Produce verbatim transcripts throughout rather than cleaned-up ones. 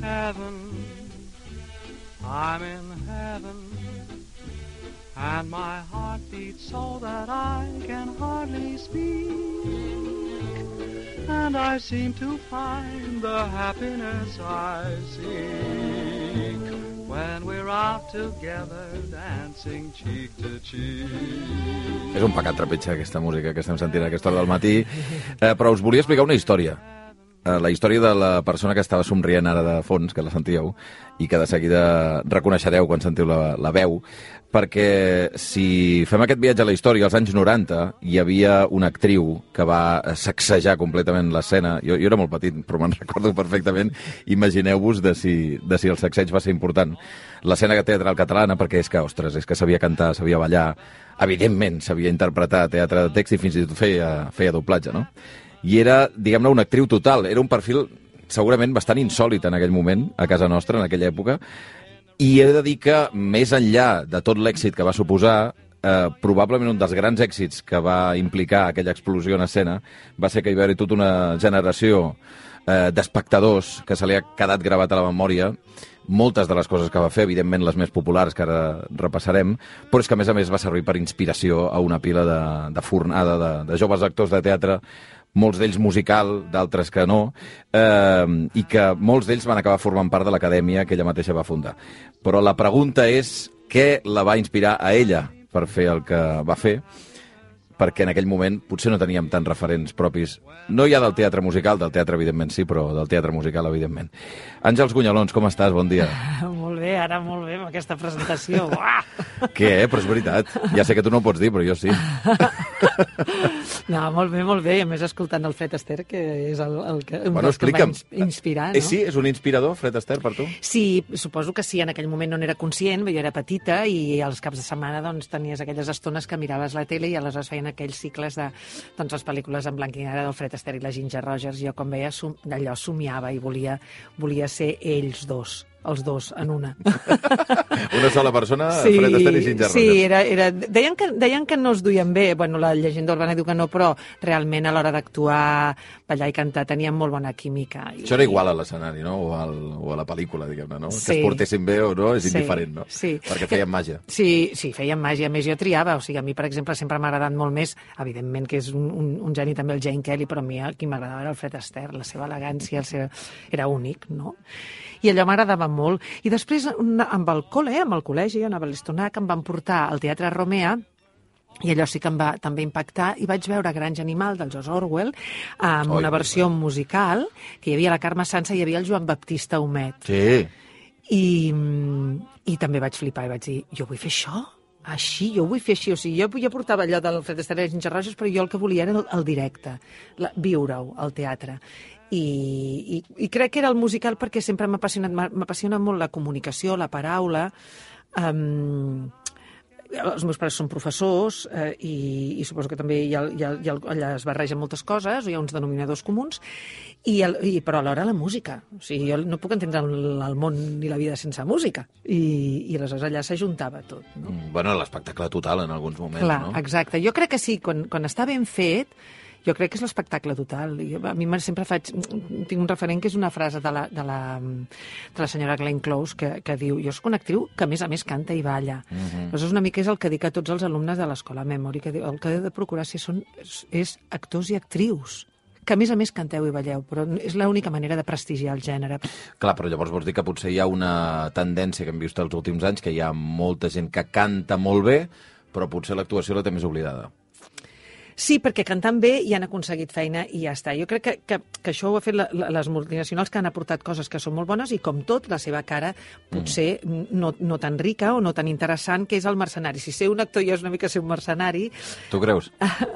Heaven, I'm in heaven, and my heart beats so that I can hardly speak, and I seem to find the happiness I seek when we're out together dancing cheek to cheek. És un pecat trepitjar aquesta música que estem sentint a aquesta hora del matí, eh, però us volia explicar una història. La història de la persona que estava somrient ara de fons, que la sentíeu, i que de seguida reconeixereu quan sentiu la, la veu, perquè si fem aquest viatge a la història, als anys noranta, hi havia una actriu que va sacsejar completament l'escena. Jo, jo era molt petit, però me'n recordo perfectament. Imagineu-vos de si, de si el sacseig va ser important. L'escena teatral catalana, perquè és que, ostres, és que sabia cantar, sabia ballar, evidentment sabia interpretar teatre de text i fins i tot feia, feia doblatge, no? I era, diguem-ne, una actriu total. Era un perfil segurament bastant insòlit en aquell moment, a casa nostra, en aquella època, i he de dir que, més enllà de tot l'èxit que va suposar, eh, probablement un dels grans èxits que va implicar aquella explosió en escena va ser que hi va haver tota una generació eh, d'espectadors que se li ha quedat gravat a la memòria, moltes de les coses que va fer, evidentment les més populars que ara repassarem, però és que a més a més va servir per inspiració a una pila de, de fornada de, de joves actors de teatre, molts d'ells musical, d'altres que no, eh, i que molts d'ells van acabar formant part de l'acadèmia que ella mateixa va fundar. Però la pregunta és què la va inspirar a ella per fer el que va fer, perquè en aquell moment potser no teníem tants referents propis, no ja del teatre musical, del teatre evidentment sí, però del teatre musical evidentment. Àngels Gunyalons, com estàs? Bon dia. Molt bé, ara molt bé amb aquesta presentació. Uah! Què, eh? Però és veritat. Ja sé que tu no ho pots dir, però jo sí. No, molt bé, molt bé. I a més escoltant el Fred Astaire, que és el, el que, un bueno, dels que em va inspirar, no? Eh, sí? És un inspirador, Fred Astaire, per tu? Sí, suposo que sí. En aquell moment no n'era conscient, jo era petita i als caps de setmana doncs, tenies aquelles estones que miraves la tele i aleshores feien aquells cicles de doncs, les pel·lícules en blanc i negre del Fred Astaire i la Ginger Rogers. Jo, com veia, som, allò somiava i volia, volia ser ells dos. Els dos en una. Una sola persona, sí, Fred Astaire i Ginger Rogers. Sí, era, era... Deien, que, deien que no es duien bé, bueno, la llegenda urbana diu que no, però realment a l'hora d'actuar, ballar i cantar tenien molt bona química. I... Això era igual a l'escenari, no? O, al, o a la pel·lícula, diguem-ne, no? Sí. Que es portessin bé o no és indiferent, sí, no? Sí. Perquè feien màgia. Sí, sí, feien màgia. A més, jo triava. O sigui, a mi, per exemple, sempre m'ha agradat molt més, evidentment que és un, un, un geni també el Gene Kelly, però a mi el qui m'agradava era el Fred Astaire, la seva elegància, el seu... era únic, no? I allò m'agradava molt. I després, amb el col·le, amb el col·legi, jo anava a l'Estonac, em van portar al Teatre Romea, i allò sí que em va també impactar, i vaig veure Granja Animal, del George Orwell, amb Oi, una versió bé. musical, que hi havia la Carme Sansa i hi havia el Joan Baptista Humet. Sí. I, i també vaig flipar i vaig dir, jo vull fer això? Així, jo ho vull fer així. O sigui, jo, jo portava allò del Fred Astaire i Ginger Rogers, però jo el que volia era el, el directe, la, viure-ho, al teatre. I, i, i crec que era el musical perquè sempre m'ha apassionat, m'apassiona molt la comunicació, la paraula. Um, els meus pares són professors eh, i, i suposo que també hi ha, hi ha, hi ha, allà es barregen moltes coses, hi ha uns denominadors comuns, i, el, i però alhora la música. O sigui, jo no puc entendre el, el món ni la vida sense música. I, i aleshores allà s'ajuntava tot. No? Mm, bueno, l'espectacle total en alguns moments, Clar, no? Exacte. Jo crec que sí, quan, quan està ben fet, jo crec que és l'espectacle total. Jo, a mi sempre faig... Tinc un referent que és una frase de la, de la, de la senyora Glenn Close que, que diu, jo soc una actriu que a més a més canta i balla. Uh -huh. Llavors una mica és el que dic a tots els alumnes de l'escola Memory, que diu, el que heu de procurar si són, és, és actors i actrius que a més a més canteu i balleu, però és l'única manera de prestigiar el gènere. Clar, però llavors vols dir que potser hi ha una tendència que hem vist els últims anys, que hi ha molta gent que canta molt bé, però potser l'actuació la té més oblidada. Sí, perquè cantant bé hi han aconseguit feina i ja està. Jo crec que, que, que això ho ha fet la, la, les multinacionals que han aportat coses que són molt bones i, com tot, la seva cara potser mm. no, no tan rica o no tan interessant, que és el mercenari. Si ser un actor ja és una mica ser un mercenari... Tu creus?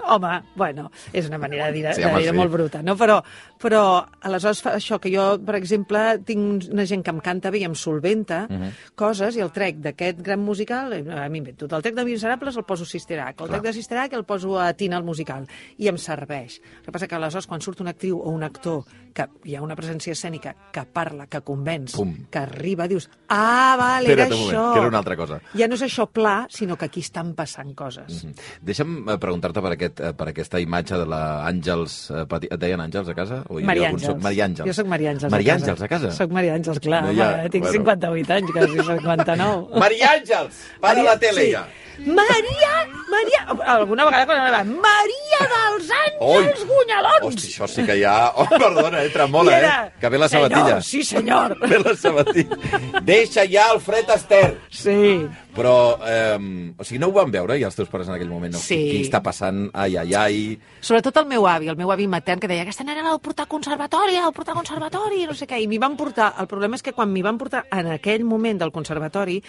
Home, bueno, és una manera de dir, sí, de home, dir sí. molt bruta, no? Però, però aleshores fa això que jo, per exemple, tinc una gent que em canta bé i em solventa uh -huh. coses i el trec d'aquest gran musical, a mi invento, el trec de Miserables el poso a Sister Act, el trec de Sister Act el poso a Tina al musical, i em serveix. El que passa que aleshores, quan surt una actriu o un actor que hi ha una presència escènica que parla, que convenç, Pum. que arriba, dius, ah, vale, era Espera't un moment, això. que era una altra cosa. Ja no és això pla, sinó que aquí estan passant coses. Mm -hmm. Deixa'm eh, preguntar-te per, aquest, eh, per aquesta imatge de la Àngels... Eh, Pati... Et deien Àngels a casa? O hi havia Maria algun Àngels. so- Maria Àngels. Jo soc Maria Àngels Maria a casa. Àngels a casa? Soc Maria Àngels, clar. No, No, ja, ja, tinc bueno. cinquanta-vuit anys, quasi cinquanta-nou. Maria Àngels! Para la tele, sí. ja! Maria, Maria... Alguna vegada quan anava, Maria dels Àngels Gunyalons! Hosti, això sí que ja... Oh, perdona, eh, tremola, I era, eh? Que ve la sabatilla. Senyor, sí, senyor. Ve la sabatilla. Deixa ja el fred ester. Sí. Però, eh, o sigui, no ho van veure, ja els teus pares en aquell moment? No? Sí. Què està passant? Ai, ai, ai... Sobretot el meu avi, el meu avi matern, que deia aquesta nena l'heu portat al conservatori, l'heu portat al conservatori, no sé què. I m'hi van portar... El problema és que quan m'hi van portar en aquell moment del conservatori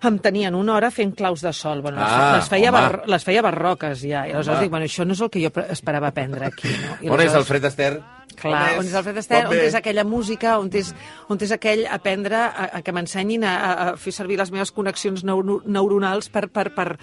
em tenien una hora fent claus de sol. Bueno, Ah, les, feia home. bar, les feia barroques, ja. I aleshores Home. dic, bueno, això no és el que jo pre- esperava aprendre aquí, no? I On és el aleshores- fred ester? Clar, on és el Fred Astaire, on és aquella música, on és, on és aquell aprendre a, a que m'ensenyin a, a, a fer servir les meves connexions neuro, neuronals per, per, per,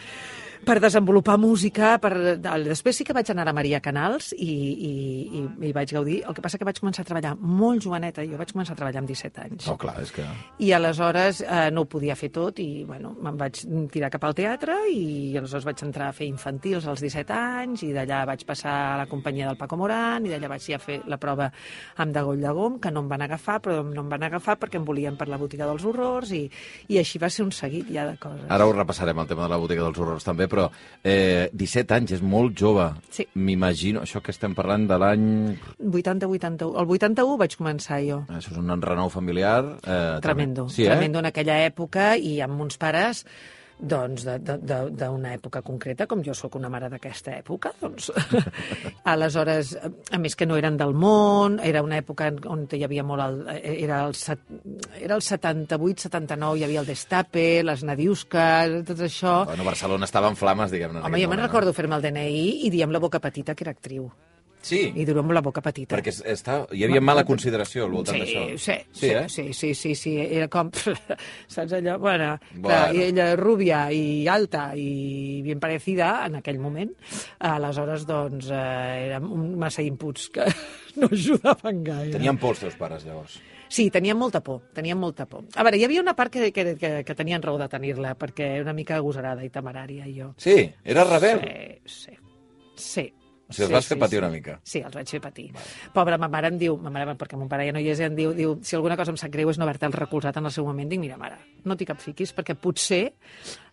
per desenvolupar música. Per... Després sí que vaig anar a Maria Canals i, i, i, i vaig gaudir. El que passa que vaig començar a treballar molt joveneta. Jo vaig començar a treballar amb disset anys. No, clar, és que... I aleshores eh, no ho podia fer tot i bueno, me'n vaig tirar cap al teatre i aleshores vaig entrar a fer infantils als disset anys i d'allà vaig passar a la companyia del Paco Morán i d'allà vaig ja fer la prova amb Dagoll de Gom, que no em van agafar, però no em van agafar perquè em volien per la botiga dels horrors i, i així va ser un seguit ja de coses. Ara ho repassarem, el tema de la botiga dels horrors també, però eh, disset anys, és molt jove. Sí. M'imagino, això que estem parlant de l'any... vuitanta vuitanta-u. El vuitanta-u vaig començar jo. Això és un enrenou familiar... Eh, Tremendo, sí, eh? tremendo en aquella època i amb uns pares doncs de- de- de- d'una època concreta, com jo sóc una mare d'aquesta època, doncs aleshores, a més que no eren del món, era una època on hi havia molt el, era el, set, era el setanta-vuit setanta-nou, hi havia el Destape, les Nadiuskes, tot això. Bueno, Barcelona estava en flames, diguem-ne. en Home, aquell jo me'n moment, recordo fer-me el D N I i dir amb la boca petita que era actriu. No? Sí, I dir-ho amb la boca petita. perquè es- està, hi havia mala consideració al voltant Sí, d'això. sí, sí, sí, eh? sí, sí, sí, sí, era com, saps allò? Bueno, Bueno. clar, i ella rúbia i alta i ben parecida en aquell moment, aleshores, doncs, eh, eren un massa inputs que no ajudaven gaire. Tenien por els teus pares, llavors. Sí, tenien molta por, tenien molta por. A veure, hi havia una part que, que, que, que tenien raó de tenir-la, perquè era una mica agosarada i temerària, jo. Sí, era rebel. Sí, sí, sí. O sigui, els vas fer patir una mica. Sí, els vaig fer patir. Pobra, ma mare em diu, ma mare, perquè mon pare ja no hi és, em diu, diu, si alguna cosa em sap greu és no haver-te el recolzat en el seu moment. Dic, mira, mare, no t'hi cap fiquis, perquè potser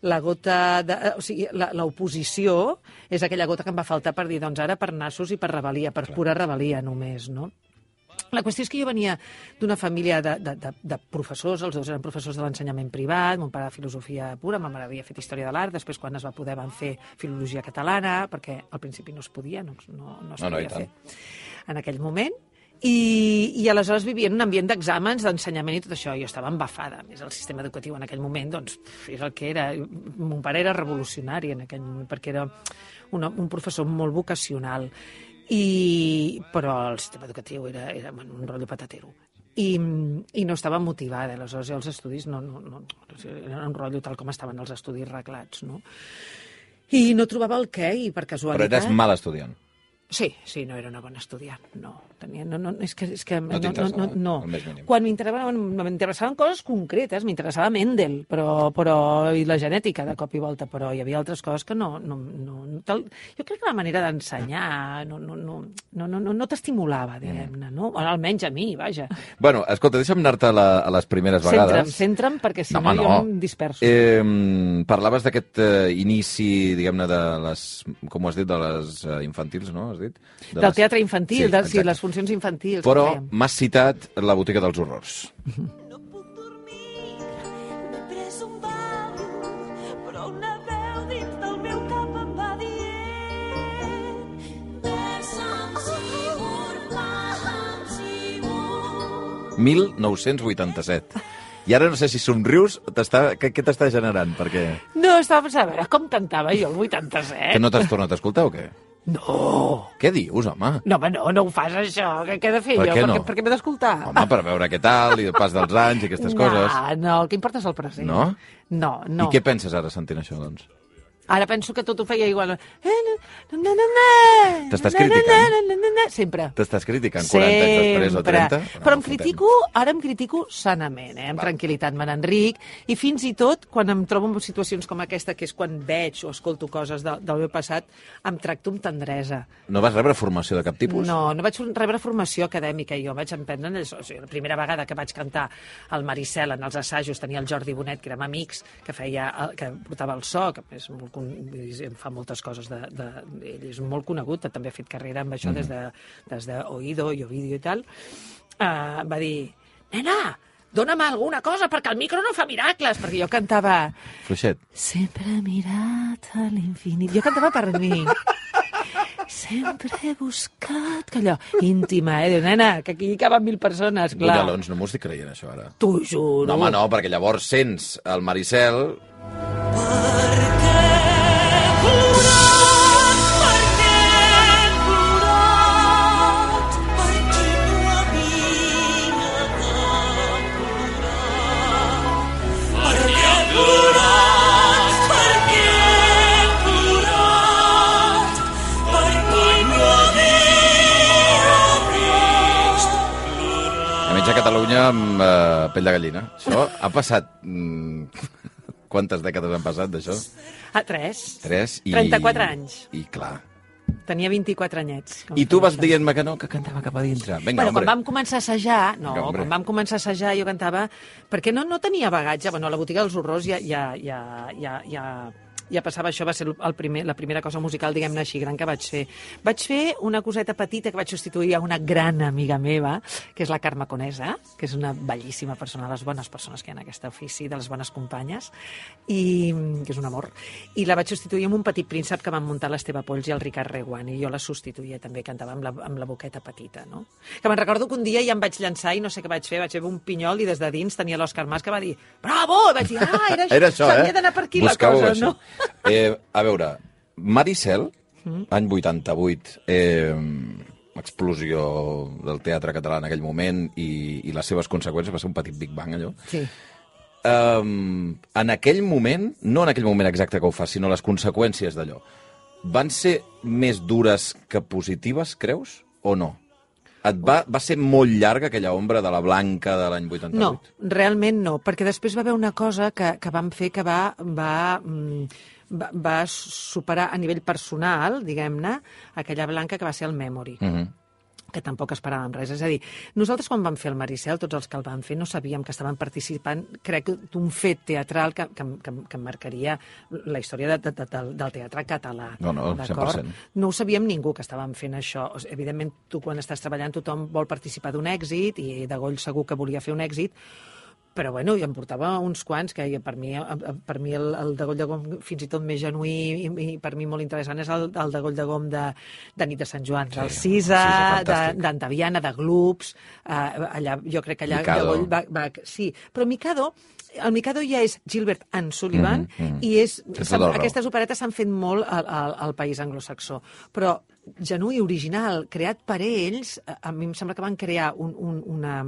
la gota, de, o sigui, la- l'oposició és aquella gota que em va faltar per dir, doncs ara per nassos i per rebel·lia, per pura rebel·lia només, no? La qüestió és que jo venia d'una família de, de, de, de professors, els dos eren professors de l'ensenyament privat, mon pare de filosofia pura, ma mare havia fet història de l'art, després quan es va poder van fer filologia catalana, perquè al principi no es podia, no, no, no es No, no, i podia tant. fer en aquell moment. I, i aleshores vivia en un ambient d'exàmens, d'ensenyament i tot això. Jo estava embafada. A més, el sistema educatiu en aquell moment doncs, era el que era. Mon pare era revolucionari en aquell moment, perquè era una, un professor molt vocacional. I, però el sistema educatiu era, era bueno, un rotllo patatero. I, i no estava motivada, aleshores els estudis no, no, no, era un rotllo tal com estaven els estudis reglats, no? I no trobava el què, i per Però casualitat... eres mal estudiant. Sí, sí, no era una bona estudiant, no. Tenia, no, no, és que, és que No t'interessava, no, no, el més mínim. Quan m'interessaven m'interessaven coses concretes, m'interessava Mendel, però, però, i la genètica de cop i volta, però hi havia altres coses que no... no, no, no tal, jo crec que la manera d'ensenyar no, no, no, no, no, no, no t'estimulava, diguem-ne, no? Almenys a mi, vaja. Bueno, escolta, deixa'm anar-te a, la, a les primeres Centra'm, vegades. centra'm, perquè si No, no, home, jo no. em disperso. Eh, parlaves d'aquest eh, inici, diguem-ne, de les... Com ho has dit? De les eh, infantils, no? Has dit? De Del les- teatre infantil, Sí, de, sí, exacte. les funcions infantils. que Però fèiem. m'has citat la botiga dels horrors. No puc dormir, m'he pres un Valium, però una veu dins del meu cap em va dient Besa'm, Sigur, pla'm, Sigur. mil nou-cents vuitanta-set. I ara no sé si somrius, t'està... què, què t'està generant? Perquè... No, estava pensant, a veure, com cantava jo el vuitanta-set? Que no t'has tornat a escoltar o què? No! Què dius, home? No, home, no, no ho fas, això. Què, què he de fer Per jo? què no? Per, per què m'he d'escoltar? Home, per veure què tal, i el pas dels anys i aquestes no, coses. No, el que importa és el present. No? No, no. I què penses ara sentint això, doncs? Ara penso que tot ho feia igual. T'estàs criticant? Sempre. T'estàs criticant quaranta anys després o trenta? No, però em critico, ara em critico sanament, eh? Amb Va. tranquil·litat me n'enric, i fins i tot quan em trobo en situacions com aquesta, que és quan veig o escolto coses de, del meu passat, em tracto amb tendresa. No vas rebre formació de cap tipus? No, no vaig rebre formació acadèmica, jo vaig emprendre, o sigui, la primera vegada que vaig cantar al Maricel en els assajos tenia el Jordi Bonet, que érem amics, que feia, que portava el so, que és molt, fa moltes coses, de, de, ell és molt conegut, també ha fet carrera amb això mm. des de, des de Oído i Ovidio i tal, uh, va dir, nena, dóna'm alguna cosa, perquè el micro no fa miracles, perquè jo cantava... Fluixet. Sempre he mirat a l'infinit. Jo cantava per mi. Sempre he buscat... Que allò, íntima, eh? Diu, nena, que aquí hi caben mil persones, clar. Bunyalons, no m'ho estic creient, això, ara. T'ho juro. No, home, no, perquè llavors sents el Maricel... A Catalunya amb uh, pell de gallina. Això ha passat... Mm, quantes dècades han passat d'això? Ah, tres. Tres. I... trenta-quatre anys. I clar. Tenia vint-i-quatre anyets. I tu vas dient-me que no, que cantava cap a dintre. Vinga, bueno, hombre. Quan vam començar a assajar, no, Vinga, quan vam començar a assajar jo cantava, perquè no, no tenia bagatge. Bueno, a la botiga dels horrors ja, ja, ja, ja, ja, ja passava això, va ser el primer, la primera cosa musical, diguem-ne així, gran que vaig fer. Vaig fer una coseta petita que vaig substituir a una gran amiga meva, que és la Carme Conesa, que és una bellíssima persona, les bones persones que hi ha en aquest ofici, de les bones companyes, i que és un amor. I la vaig substituir amb un petit príncep que van muntar l'Esteve Polls i el Ricard Reguant, i jo la substituïa també, cantava amb la, amb la boqueta petita, no? Que me'n recordo que un dia ja em vaig llançar i no sé què vaig fer, vaig fer un pinyol i des de dins tenia l'Òscar Mas que va dir bravo! I vaig dir, ah, era, era això, eh? S'havia d'anar per aquí Buscau la cosa, això. no? Eh, a veure, Maricel, mm. any vuitanta-vuit, eh, explosió del teatre català en aquell moment i, i les seves conseqüències, va ser un petit Big Bang, allò. Sí. Um, en aquell moment, no en aquell moment exacte que ho fa, sinó les conseqüències d'allò, van ser més dures que positives, creus, o no? Et va, va ser molt llarga aquella ombra de la Blanca de l'any vuitanta-vuit? No, realment no, perquè després va haver una cosa que, que vam fer que va, va, va, va superar a nivell personal, diguem-ne, aquella Blanca que va ser el Memory. Uh-huh. Que tampoc esperàvem res. És a dir, nosaltres quan vam fer el Maricel, tots els que el vam fer, no sabíem que estaven participant, crec, d'un fet teatral que, que, que, que marcaria la història de, de, de, del teatre català. No, no, cent per cent. No ho sabíem ningú que estàvem fent això. Evidentment, tu quan estàs treballant tothom vol participar d'un èxit i de Goll segur que volia fer un èxit, però bueno, jo em portava uns quants que per mi, per mi el, el de Goll de Gom fins i tot més genuí i, i per mi molt interessant és el, el de Goll de Gom de, de Nit de Sant Joan, sí, del Cisa, d'Antaviana, de, de Gloops, uh, allà, jo crec que allà de Goll va, va... Sí, però Mikado, el Mikado ja és Gilbert and Sullivan mm -hmm. i és, aquestes operetes s'han fet molt al, al, al país anglosaxó, però genuí, original, creat per ells, a mi em sembla que van crear un, un, una,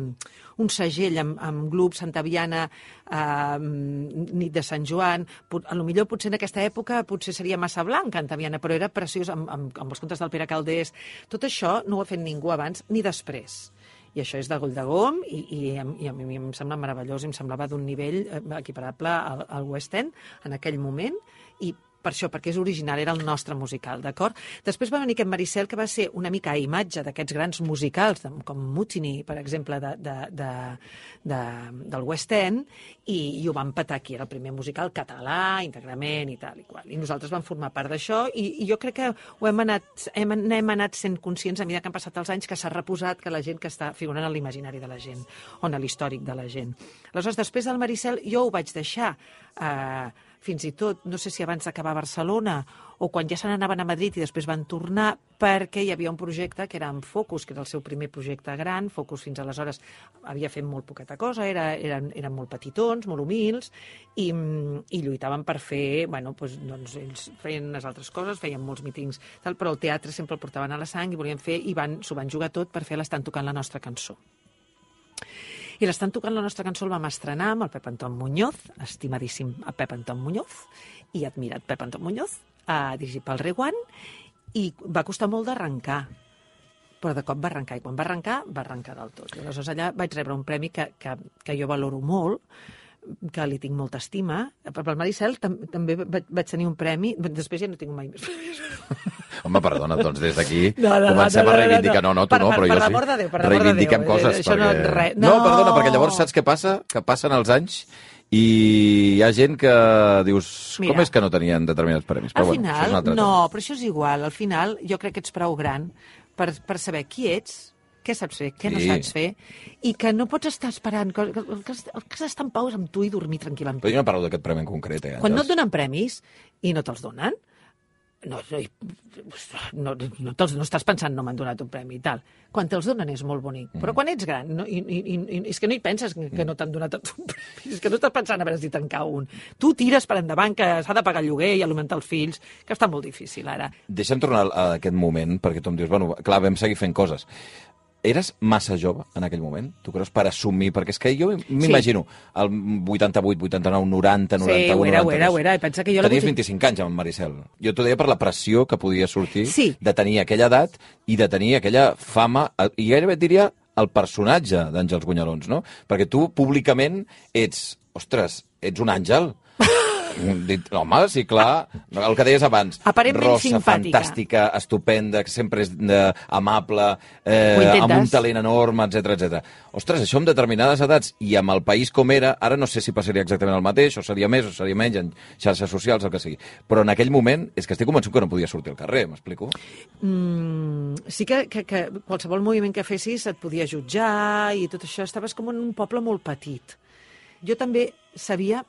un segell amb, amb Gloops, Santa Viana, eh, Nit de Sant Joan, a lo millor potser en aquesta època potser seria massa blanc, Santa Viana, però era preciós amb, amb, amb els contes del Pere Calders. Tot això no ho ha fet ningú abans ni després. I això és de Goll de Gom i, i, i a mi em sembla meravellós, em semblava d'un nivell equiparable al, al West End en aquell moment, i per això, perquè és original, era el nostre musical, d'acord? Després va venir aquest Maricel, que va ser una mica a imatge d'aquests grans musicals, com Mutiny, per exemple, de, de, de, de, del West End, i, i ho van petar aquí, era el primer musical català, íntegrament, i tal i qual. I nosaltres vam formar part d'això, i, i jo crec que ho hem anat, hem, hem anat sent conscients, a mesura que han passat els anys, que s'ha reposat, que la gent que està figurant en l'imaginari de la gent, o en l'històric de la gent. Aleshores, després del Maricel, jo ho vaig deixar, eh, fins i tot, no sé si abans d'acabar a Barcelona o quan ja se n'anaven a Madrid i després van tornar, perquè hi havia un projecte que era amb Focus, que era el seu primer projecte gran. Focus fins aleshores havia fet molt poqueta cosa, era, eren, eren molt petitons, molt humils, i, i lluitaven per fer, bueno, doncs, doncs ells feien unes altres coses, feien molts mítings, tal, però el teatre sempre el portaven a la sang i volien fer, i van, s'ho van jugar tot per fer l'Estan tocant la nostra cançó. I l'estan tocant la nostra cançó, el vam estrenar amb el Pep Anton Muñoz, estimadíssim a Pep Anton Muñoz, i admirat Pep Anton Muñoz, a dirigir pel Reguant, i va costar molt d'arrencar, però de cop va arrencar, i quan va arrencar, va arrencar del tot. I aleshores allà vaig rebre un premi que, que, que jo valoro molt, que li tinc molta estima. Per el Maricel tam també vaig, vaig tenir un premi, després ja no tinc mai més premis. Home, perdona, doncs des d'aquí no, no, comencem no, no, a reivindicar. No, no, tu per, no, per, però per jo sí. l'amor de Déu, per l'amor de Déu. Reivindiquem coses. Això perquè... no, re... no. no, no, perdona, perquè llavors saps què passa? Que passen els anys i hi ha gent que dius, Mira, com és que no tenien determinats premis? Però al bueno, final, això és un altre no, tema. però això és igual. Al final, jo crec que ets prou gran per, per saber qui ets, què saps fer, què sí. no saps fer, i que no pots estar esperant, que, que, que, que has d'estar en pau amb tu i dormir tranquil·lament. Però jo no parlo d'aquest premi en concret, eh, Quan no et donen premis i no te'ls donen, no, no, no, te'ls, no estàs pensant no m'han donat un premi i tal. Quan te'ls donen és molt bonic, mm. però quan ets gran no, i, i, i, és que no hi penses que mm. no t'han donat un premi, és que no estàs pensant a veure si te'n cau un. Tu tires per endavant que s'ha de pagar el lloguer i alimentar els fills, que està molt difícil ara. Deixa'm tornar a aquest moment, perquè tu em dius, bueno, clar, vam seguir fent coses. Eres massa jove en aquell moment, tu creus, per assumir? Perquè és que jo m'imagino el vuitanta-vuit, vuitanta-nou, noranta, noranta-u, sí, ho era, noranta-dos. ho era, ho era. Pensa que jo Tenies la... vint-i-cinc anys amb Maricel. Jo t'ho deia per la pressió que podia sortir sí. de tenir aquella edat i de tenir aquella fama, i gairebé et diria el personatge d'Àngels Gunyalons, no? Perquè tu públicament ets, ostres, ets un àngel. Home, sí, clar, el que deies abans, aparentment rosa, simpàtica, fantàstica, estupenda, que sempre és eh, amable, eh, amb un talent enorme, etcètera, etcètera. Ostres, això amb determinades edats i amb el país com era, ara no sé si passaria exactament el mateix, o seria més, o seria menys, en xarxes socials, el que sigui. Però en aquell moment és que estic convençut que no podia sortir al carrer, m'explico? Mm, sí que, que, que qualsevol moviment que fessis et podia jutjar i tot això, estaves com en un poble molt petit. Jo també sabia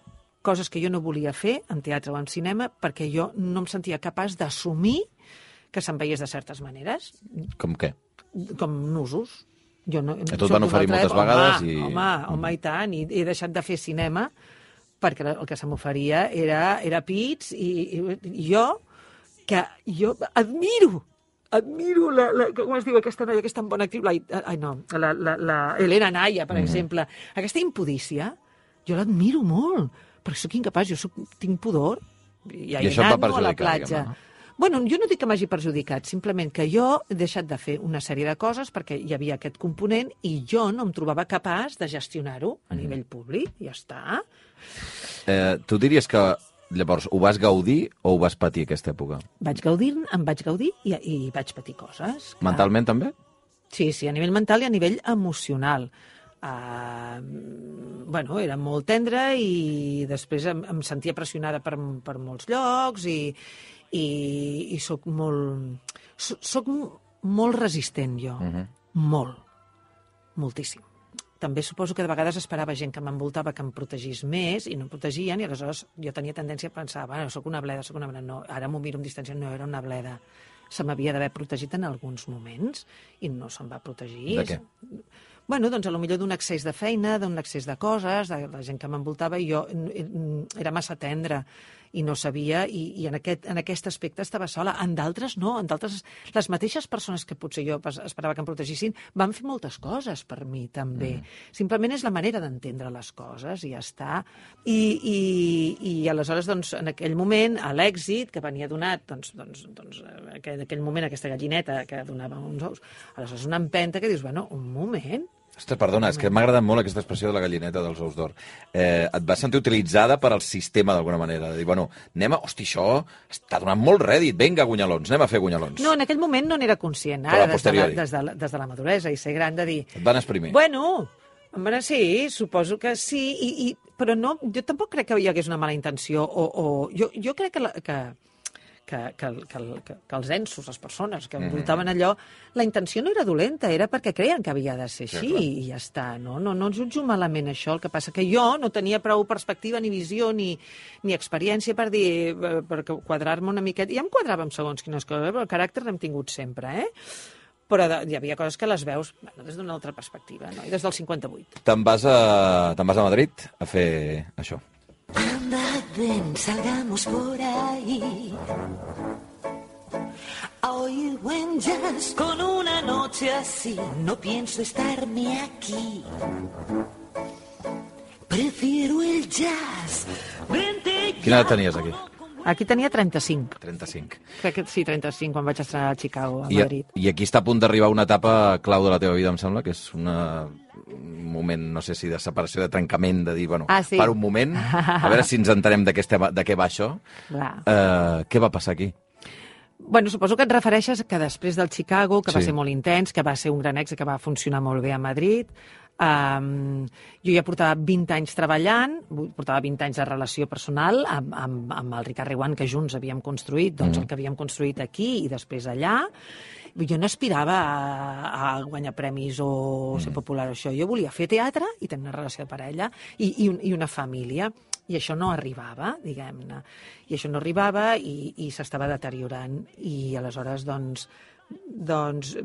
coses que jo no volia fer en teatre o en cinema perquè jo no em sentia capaç d'assumir que se'n veiés de certes maneres. Com què? Com nusos. Jo no, que tu et van oferir moltes vegades home, i... Home, home, i tant, i he deixat de fer cinema perquè el que se m'oferia era, era pits i, i, i jo, que jo admiro admiro, la, la, com es diu aquesta noia, aquesta bona actriu, la, ai no, la, la, la Elena Naya, per mm-hmm. exemple, aquesta impudícia, jo l'admiro molt, perquè sóc incapaç, jo soc, tinc pudor, i, I això et va perjudicar, a la platja. no? Bueno, jo no dic que m'hagi perjudicat, simplement que jo he deixat de fer una sèrie de coses perquè hi havia aquest component i jo no em trobava capaç de gestionar-ho a nivell públic, ja està. Eh, tu diries que llavors ho vas gaudir o ho vas patir aquesta època? Vaig gaudir, em vaig gaudir i, i vaig patir coses. Clar. Mentalment també? Sí, sí, a nivell mental i a nivell emocional. Uh, bueno, era molt tendra i després em, em sentia pressionada per, per molts llocs i, i, i soc molt soc, soc molt resistent jo, uh-huh. molt, moltíssim. També suposo que de vegades esperava gent que m'envoltava que em protegís més i no em protegien i aleshores jo tenia tendència a pensar, bueno, soc una bleda, soc una bleda. No, ara m'ho miro amb distància, no era una bleda. Se m'havia d'haver protegit en alguns moments i no se'm va protegir. De què? Bueno, doncs, potser d'un excés de feina, d'un excés de coses, de la gent que m'envoltava, i jo era massa tendra i no sabia, i, i en, aquest, en aquest aspecte estava sola. En d'altres no, en d'altres les mateixes persones que potser jo esperava que em protegissin van fer moltes coses per mi, també. Mm. Simplement és la manera d'entendre les coses, i ja està. I, i, i aleshores, doncs, en aquell moment, a l'èxit que venia donat, doncs, doncs, doncs en aquell moment, aquesta gallineta que donava uns ous, aleshores una empenta que dius, bueno, un moment, Ostres, perdona, és que m'ha agradat molt aquesta expressió de la gallineta dels ous d'or. Eh, et vas sentir utilitzada per al sistema, d'alguna manera. De dir, bueno, anem a... Hosti, això està donant molt rèdit. Vinga, gunyalons, anem a fer gunyalons. No, en aquell moment no n'era conscient. Ara, des de, la, des, de la, des de la maduresa i ser gran, de dir... Et van exprimir. Bueno, home, sí, suposo que sí, i, i, però no, jo tampoc crec que hi hagués una mala intenció, o... o jo, jo crec que... La, que Que, que, que, que, que els ensos, les persones que envoltaven allò, la intenció no era dolenta, era perquè creien que havia de ser així, sí, i ja està. No, no, no jutjo malament això, el que passa que jo no tenia prou perspectiva, ni visió, ni, ni experiència per dir, per quadrar-me una miqueta. Ja em quadrava amb segons quines coses, però el caràcter l'hem tingut sempre, eh? Però hi havia coses que les veus bueno, des d'una altra perspectiva, no? I des del cinquanta-vuit. Te'n vas, a, te'n vas a Madrid a fer això. Anda, ven, salgamos por ahí a oír buen jazz con una noche noche así, no pienso estarme aquí. Prefiero el jazz. Vente ya. Quina edat tenies aquí? Aquí tenia trenta-cinc. trenta-cinc. Crec que sí, trenta-cinc, quan vaig estrenar a Chicago, a I, Madrid. I aquí està a punt d'arribar una etapa clau de la teva vida, em sembla, que és una, un moment, no sé si de separació, de trencament, de dir, bueno, ah, sí? per un moment, a veure si ens entenem de què, estem, de què va això. Uh, què va passar aquí? Bueno, suposo que et refereixes que després del Chicago, que sí. va ser molt intens, que va ser un gran èxit, que va funcionar molt bé a Madrid, Um, jo ja portava vint anys treballant, portava vint anys de relació personal amb, amb, amb el Ricard Reguant, que junts havíem construït, doncs mm. el que havíem construït aquí i després allà. Jo no aspirava a, a guanyar premis o mm. ser popular o això. Jo volia fer teatre i tenir una relació de parella i, i, un, i una família. I això no arribava, diguem-ne. I això no arribava i, i s'estava deteriorant. I aleshores, doncs, doncs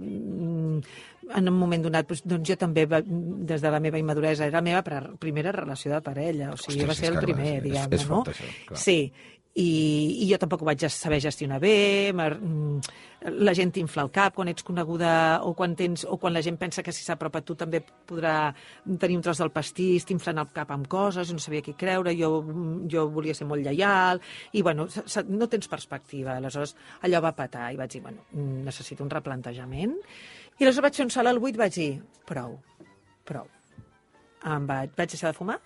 en un moment donat doncs jo també, des de la meva immaduresa, era la meva primera relació de parella, o sigui, Ostres, va ser el primer, és, diguem-ne, és no? fort, això, clar. Sí, i, i jo tampoc ho vaig saber gestionar bé, la gent t'infla el cap quan ets coneguda o quan, tens, o quan la gent pensa que si s'apropa a tu també podrà tenir un tros del pastís, t'inflen el cap amb coses, no sabia què creure, jo, jo volia ser molt lleial, i bueno, no tens perspectiva, aleshores allò va petar, i vaig dir, bueno, necessito un replantejament, i aleshores vaig fer un salt al buit, vaig dir, prou, prou. Em vaig, vaig deixar de fumar,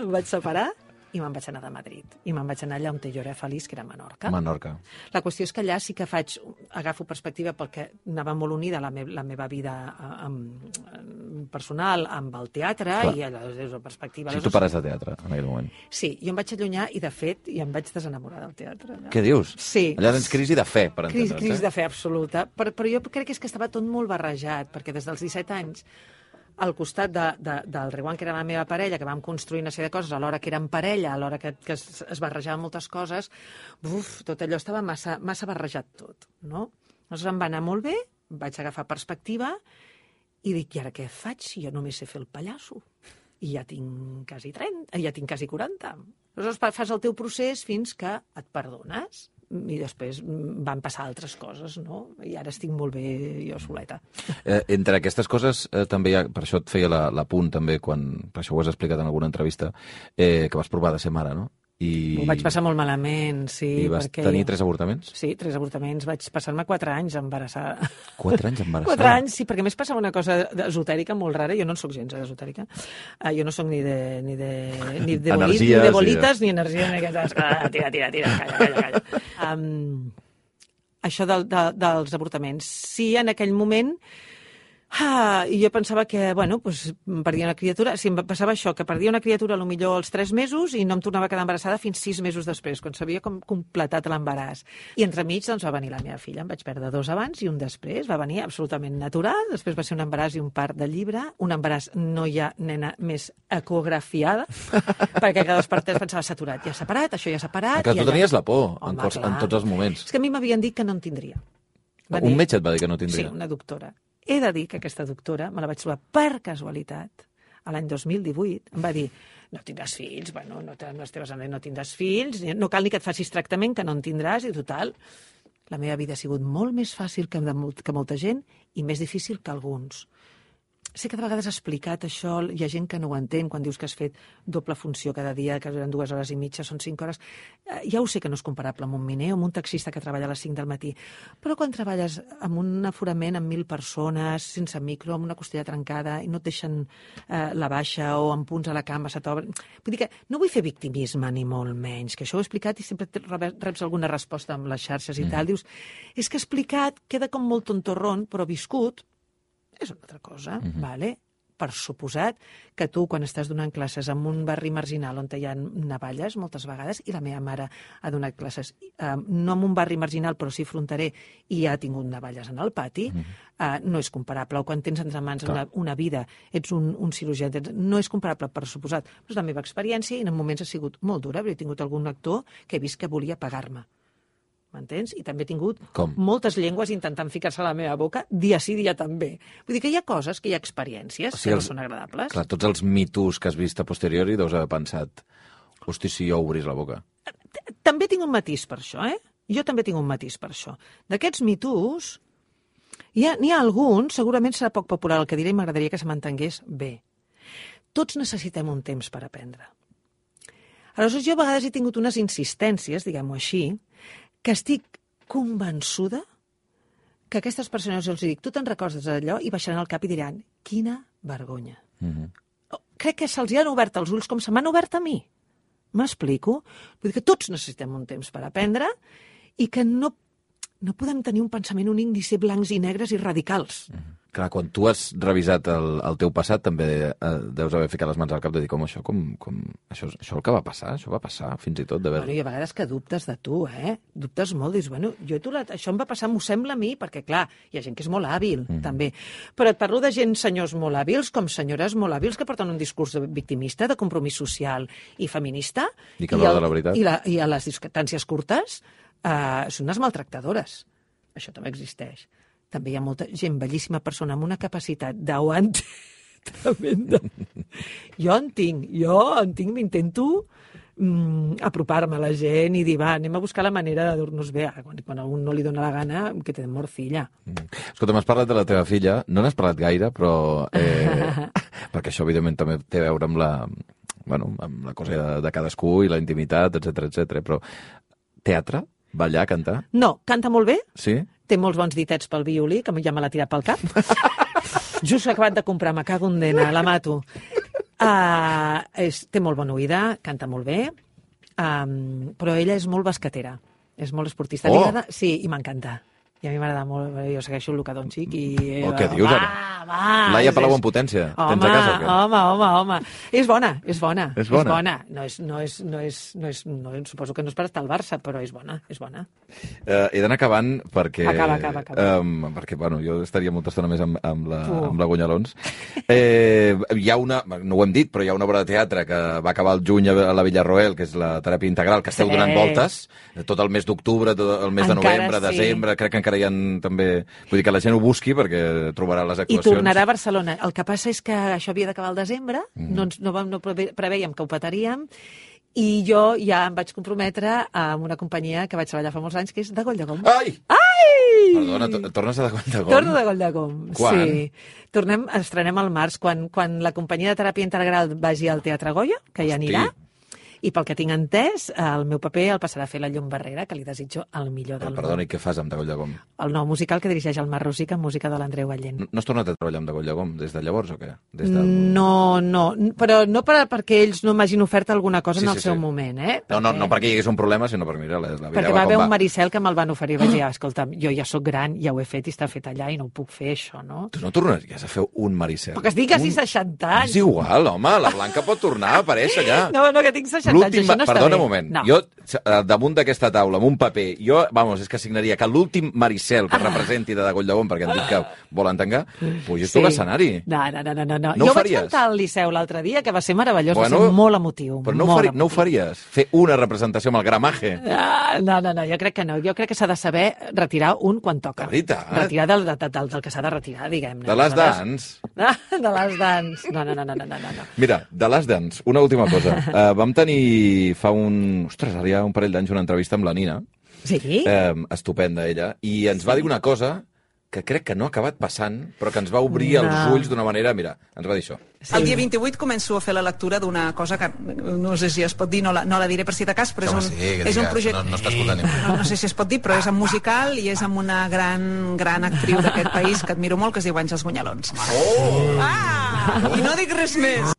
em vaig separar, i me'n vaig anar de Madrid. I me'n vaig anar allà on jo era feliç, que era a Menorca. Menorca. La qüestió és que allà sí que faig, agafo perspectiva perquè anava molt unida la, me, la meva vida amb, amb personal amb el teatre. Clar. I allà des de perspectiva... Si tu pares de teatre en aquell moment. Sí, jo em vaig allunyar i, de fet, i em vaig desenamorar del teatre. Allà. Què dius? Sí. Allà tens crisi de fe, per entendre's. Crisi, crisi eh? de fe absoluta. Però, però jo crec que és que estava tot molt barrejat, perquè des dels disset anys al costat de, de, del Reguant, que era la meva parella, que vam construir una sèrie de coses, alhora que érem parella, alhora que, que es, es barrejaven moltes coses, uf, tot allò estava massa, massa barrejat tot, no? Llavors em va anar molt bé, vaig agafar perspectiva i dic, i ara què faig si jo només sé fer el pallasso? I ja tinc quasi trenta, ja tinc quasi quaranta. Llavors fas el teu procés fins que et perdones. I després van passar altres coses, no? I ara estic molt bé jo soleta. Eh, entre aquestes coses, eh, també hi ha, per això et feia l'apunt també, quan, per això ho has explicat en alguna entrevista, eh, que vas provar de ser mare, no? I... Ho vaig passar molt malament, sí. I vas perquè... tenir tres avortaments? Sí, tres avortaments. Vaig passar-me quatre anys embarassada. Quatre anys embarassada? Quatre anys, sí, perquè a més passava una cosa esotèrica molt rara. Jo no en soc gens esotèrica. Uh, jo no soc ni de, ni de, ni de, bolit, ni de bolites, sí. ni energia, ni aquestes... Ah, tira, tira, tira, calla, calla, calla. Um, això de, de, dels avortaments. Sí, en aquell moment... Ah, i jo pensava que, bueno, pues, perdia una criatura, si em passava això, que perdia una criatura potser als tres mesos i no em tornava a quedar embarassada fins sis mesos després, quan s'havia com completat l'embaràs. I entremig doncs, va venir la meva filla, em vaig perdre dos abans i un després, va venir absolutament natural, després va ser un embaràs i un part de llibre, un embaràs no hi ha nena més ecografiada, perquè cada dos per tres pensava saturat, ja separat, això ja separat... Que tu allà... tenies la por en, Home, cos, en tots els moments. És que a mi m'havien dit que no en tindria. Va un dir... metge et va dir que no tindria? Sí, una doctora. He de dir que aquesta doctora, me la vaig trobar per casualitat, a l'any dos mil divuit, em va dir, no tindràs fills, bueno, no, les teves anades no tindràs fills, no cal ni que et facis tractament, que no en tindràs, i total, la meva vida ha sigut molt més fàcil que, de molt, que molta gent i més difícil que alguns. Sé que de vegades has explicat això, hi ha gent que no ho entén quan dius que has fet doble funció cada dia, que eren dues hores i mitja, són cinc hores. Ja ho sé que no és comparable amb un miner o amb un taxista que treballa a les cinc del matí, però quan treballes amb un aforament amb mil persones, sense micro, amb una costella trencada, i no et deixen eh, la baixa o amb punts a la cama, se t'obre... Vull dir que no vull fer victimisme ni molt menys, que això ho he explicat i sempre reps alguna resposta amb les xarxes i mm. tal. Dius, és que explicat queda com molt tontorrón, però viscut és una altra cosa, mm-hmm. vale? Per suposat que tu, quan estàs donant classes en un barri marginal on hi ha navalles, moltes vegades, i la meva mare ha donat classes, eh, no en un barri marginal, però sí fronterer, i ha tingut navalles en el pati, mm-hmm. eh, no és comparable. O quan tens entre mans una, una vida, ets un, un cirurgià, no és comparable, per suposat. Però és la meva experiència i en moments ha sigut molt dura, perquè he tingut algun actor que he vist que volia pagar-me. M'entens? I també he tingut Com? moltes llengües intentant ficar-se a la meva boca, dia sí, dia també. Vull dir que hi ha coses, que hi ha experiències o sigui, que no els, són agradables. Clar, tots els mitos que has vist a posteriori deus haver pensat, hosti, si jo obrís la boca. També tinc un matís per això, eh? Jo també tinc un matís per això. D'aquests mitos, Hi ha, n'hi ha alguns, segurament serà poc popular el que diré i m'agradaria que se m'entengués bé. Tots necessitem un temps per aprendre. Aleshores, jo a vegades he tingut unes insistències, diguem-ho així, que estic convençuda que aquestes persones, els dic, tu te'n recordes d'allò, i baixaran el cap i diran, quina vergonya. Mm-hmm. Crec que se'ls han obert els ulls com se m'han obert a mi. M'explico? Vull dir que tots necessitem un temps per aprendre i que no, no podem tenir un pensament únic ni ser blancs i negres i radicals. Mm-hmm. Clar, quan tu has revisat el, el teu passat, també eh, deus haver ficat les mans al cap de dir com això, com, com... Això, això el que va passar, això va passar, fins i tot d'haver... Bueno, i a vegades que dubtes de tu, eh? Dubtes molt, dius, bueno, jo tu la... això em va passar, m'ho sembla a mi, perquè, clar, hi ha gent que és molt hàbil, mm. també. Però et parlo de gent, senyors molt hàbils, com senyores molt hàbils, que porten un discurs victimista, de compromís social i feminista. I que a l'hora de la veritat. I, la, I a les distàncies curtes eh, són unes maltractadores. Això també existeix. També hi ha molta gent bellíssima persona amb una capacitat d'aguant tremenda. Jo en tinc, jo en tinc, m'intento mm, apropar-me a la gent i dir, va, anem a buscar la manera de dur-nos bé. Quan, quan a un no li dona la gana, que te morcilla. Mm. Escolta, m'has parlat de la teva filla, no n'has parlat gaire, però... Eh, perquè això, evidentment, també té a veure amb la, bueno, amb la cosa de, de cadascú i la intimitat, etcètera, etcètera. Però teatre? Ballar, cantar? No, canta molt bé. Sí? Té molts bons ditets pel violí, que ja me l'ha tirat pel cap. Just l'he acabat de comprar, me cago en dena, la mato. Uh, és, té molt bona oïda, canta molt bé, um, però ella és molt basquetera, és molt esportista. Oh. Sí, i m'encanta. I a mi m'agrada molt, jo segueixo el Luka Doncic i... Oh, què dius, va, ara? Va, Laia és, Palau en potència. Home, Tens a casa o què? home, home, home. És bona, és bona. És bona? És bona. No és, no és, no és, no és, no, suposo que no és per estar al Barça, però és bona, és bona. Uh, he d'anar acabant perquè... Acaba, acaba, acaba. Um, perquè, bueno, jo estaria molta estona més amb, amb, la, uh. amb la Gunyalons. Eh, hi ha una, no ho hem dit, però hi ha una obra de teatre que va acabar el juny a la Villarroel, que és la teràpia integral, que esteu Sí. donant voltes, tot el mes d'octubre, tot el mes de Encara novembre, sí. desembre, crec que encara hi ha també... Vull dir que la gent ho busqui perquè trobarà les I actuacions. tornarà a Barcelona. El que passa és que això havia d'acabar al desembre, mm. no, ens, no, vam, no preve- preveiem que ho petaríem, i jo ja em vaig comprometre amb una companyia que vaig treballar fa molts anys, que és de Goll de Gom. Ai! Ai! Perdona, to- tornes a de Goll de Gom? Torno de Goll de Gom, Quan? sí. Tornem, estrenem al març, quan, quan la companyia de teràpia integral vagi al Teatre Goya, que ja anirà. I pel que tinc entès, el meu paper el passarà a fer la Llum Barrera, que li desitjo el millor del Però, perdona, món. i què fas amb de Goll de Gom? El nou musical que dirigeix el Mar Rosic amb música de l'Andreu Gallent. No, no has tornat a treballar amb de Goll de Gom des de llavors o què? Des de... No, no, però no per, perquè ells no m'hagin ofert alguna cosa Sí, en el sí, seu sí. moment, eh? No, no, no perquè hi hagués un problema, sinó perquè, mira, la, la vida Perquè va va haver com un va. Maricel que me'l van oferir. Vaig dir, ah, escolta'm, jo ja sóc gran, ja ho he fet i està fet allà i no ho puc fer, això, no? Tu no tornaries a fer un Maricel? Perquè estic quasi un... seixanta anys. És igual, home, la Blanca pot tornar a aparèixer allà. No, no, que tinc seixanta anys, L'últim- això no està Perdona bé. un moment, No. jo eh, damunt d'aquesta taula, amb un paper, jo, vamos, és que signaria que l'últim Maricel que representi de Goll de Gom, perquè han dit que volen tancar, pugis tu a l'escenari. No, no, no, no, no. no. No ho jo vaig faries? cantar al Liceu l'altre dia, que va ser meravellós, Bueno, va ser molt emotiu. Però no ho, molt fari, no ho emotiu. faries? Fer una representació amb el gramaje? Ah, no, no, no, jo crec que no. Jo crec que s'ha de saber retirar un quan toca. De veritat? Retirar del, del, del, del que s'ha de retirar, diguem-ne. De les Aleshores- dans? Ah, de les dans. No, no, no, no, no, no. no. Mira, de les dans, una última cosa. Uh, vam tenir fa un... Ostres, ara hi ha un parell d'anys una entrevista amb la Nina, Sí? eh, estupenda ella, i ens va dir una cosa que crec que no ha acabat passant, però que ens va obrir No. els ulls d'una manera... Mira, ens va dir això. Sí. El dia vint-i-vuit començo a fer la lectura d'una cosa que no sé si es pot dir, no la, no la diré per si de cas, però Home, és un, sí, que és un digues, projecte... no- no està escoltant ningú. no, no sé si es pot dir, però és en musical i és amb una gran, gran actriu d'aquest país que admiro molt, que es diu Àngels Gunyalons. Oh! Ah! I no dic res més.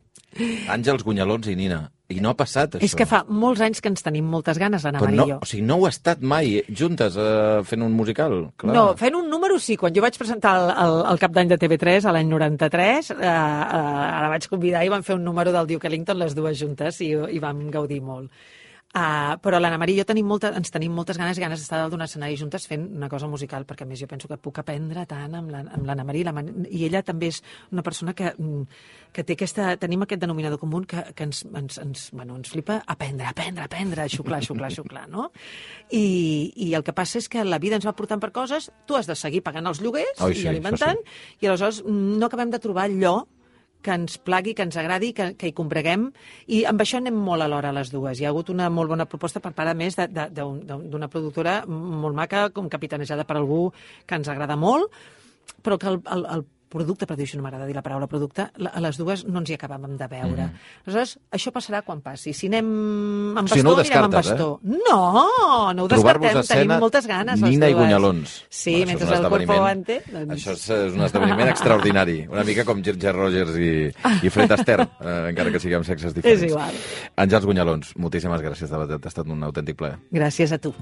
Àngels Gunyalons i Nina. I no ha passat, això. És que fa molts anys que ens tenim moltes ganes, Anna Però Maria no, i jo. o sigui, no ho ha estat mai juntes eh, fent un musical. Clar. No, fent un número sí. Quan jo vaig presentar el, el, el cap d'any de T V tres, a l'any noranta-tres, eh, eh, la vaig convidar i vam fer un número del Duke Ellington les dues juntes i, i vam gaudir molt. Uh, però l'Anna Maria i jo tenim molta, ens tenim moltes ganes i ganes d'estar dalt d'un escenari juntes fent una cosa musical, perquè a més jo penso que puc aprendre tant amb la- amb l'Anna Maria i, la, Man- i ella també és una persona que, mm, que té aquesta, tenim aquest denominador comú que, que ens, ens, ens, bueno, ens flipa aprendre, aprendre, aprendre, xuclar, xuclar, xuclar, no? I, I el que passa és que la vida ens va portant per coses, tu has de seguir pagant els lloguers Ai, i sí, alimentant, això i aleshores mm, no acabem de trobar allò que ens plagui, que ens agradi, que, que hi combreguem, i amb això anem molt alhora les dues. Hi ha hagut una molt bona proposta per part, a més, de- de- d'un- d'una productora molt maca, com capitanejada per algú que ens agrada molt, però que el, el, el producte, per dir això no m'agrada dir la paraula producte, la, a les dues no ens hi acabàvem de veure. Mm. Aleshores, això passarà quan passi. Si anem amb O sigui, bastó, no ho anirem amb descartes, bastó. No, no ho Trobar-vos descartem. a escena, Tenim moltes ganes, les Nina i dues. Gunyalons. Sí, Bueno, això mentre és un el corpo esdeveniment- aguante. Doncs... Això és, és un esdeveniment extraordinari. Una mica com Ginger Rogers i, i Fred Astaire, eh, encara que siguem sexes diferents. És igual. Àngels Gunyalons, moltíssimes gràcies, de veritat, ha estat un autèntic plaer. Gràcies a tu.